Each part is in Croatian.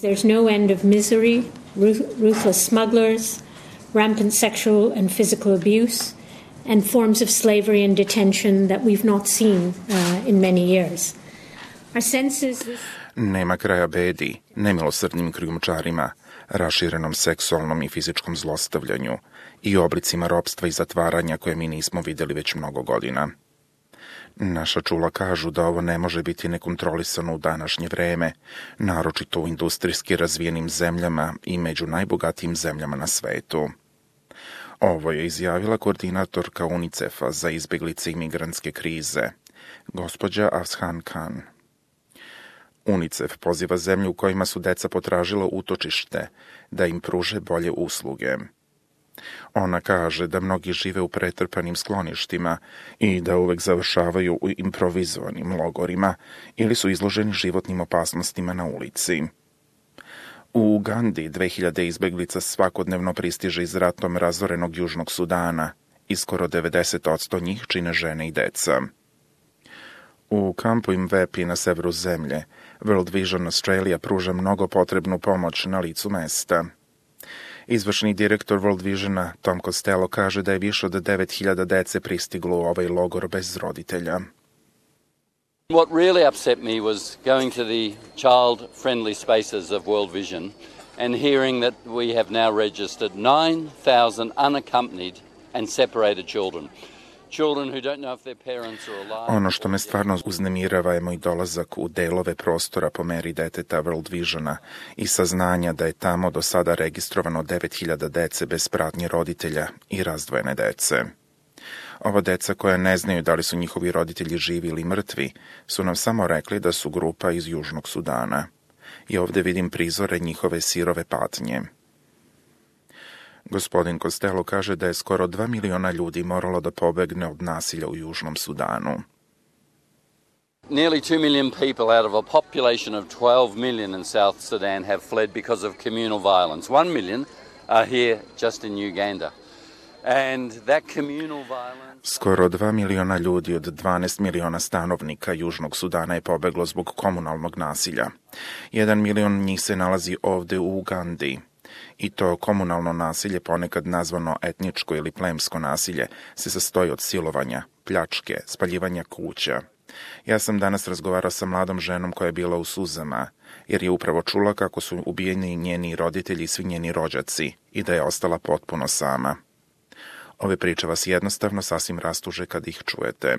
There's no end of misery, ruthless smugglers, rampant sexual and physical abuse, and forms of slavery and detention that we've not seen in many years. Our sense is this... Nema kraja bedi, nemilosrdnim krijumčarima, raširenom seksualnom i fizičkom zlostavljanju i oblicima ropstva i zatvaranja koje mi nismo vidjeli već mnogo godina. Naša čula kažu da ovo ne može biti nekontrolisano u današnje vreme, naročito u industrijski razvijenim zemljama i među najbogatijim zemljama na svetu. Ovo je izjavila koordinatorka UNICEF-a za izbjeglice i migrantske krize, gospođa Afshan Khan. UNICEF poziva zemlje u kojima su deca potražila utočište da im pruže bolje usluge. Ona kaže da mnogi žive u pretrpanim skloništima i da uvek završavaju u improvizovanim logorima ili su izloženi životnim opasnostima na ulici. U Ugandi 2000 izbeglica svakodnevno pristiže iz ratom razorenog Južnog Sudana i skoro 90% njih čine žene i deca. U kampu Imvepi na severu zemlje World Vision Australia pruža mnogo potrebnu pomoć na licu mesta. Izvršni direktor World Visiona Tom Costello kaže da je više od 9000 dece pristiglo u ovaj logor bez roditelja. What really upset me was going to the child-friendly spaces of World Vision and hearing that we have now registered 9,000 unaccompanied and separated children. Ono što me stvarno uznemirava je moj dolazak u delove prostora po meri deteta World Visiona i saznanja da je tamo do sada registrovano 9000 dece bez pratnje roditelja i razdvojene dece. Ova deca koja ne znaju da li su njihovi roditelji živi ili mrtvi su nam samo rekli da su grupa iz Južnog Sudana. I ovdje vidim prizore njihove sirove patnje. Gospodin Costello kaže da je skoro 2 miliona ljudi moralo da pobegne od nasilja u Južnom Sudanu. Nearly 2 million people out of a population of 12 million in South Sudan have fled because of communal violence. 1 million are here just in Uganda. And that communal violence... Skoro 2 miliona ljudi od 12 miliona stanovnika Južnog Sudana je pobeglo zbog komunalnog nasilja. 1 milion njih se nalazi ovde u Ugandi. I to komunalno nasilje, ponekad nazvano etničko ili plemsko nasilje, se sastoji od silovanja, pljačke, spaljivanja kuća. Ja sam danas razgovarao sa mladom ženom koja je bila u suzama, jer je upravo čula kako su ubijeni njeni roditelji i svi njeni rođaci i da je ostala potpuno sama. Ove priče vas jednostavno sasvim rastuže kad ih čujete.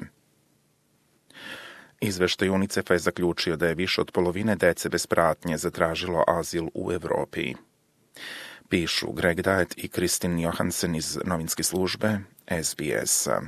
Izveštaj UNICEF-a je zaključio da je više od polovine dece bez pratnje zatražilo azil u Evropi. Pišu Greg Diet i Kristin Johansen iz novinske službe SBS-a.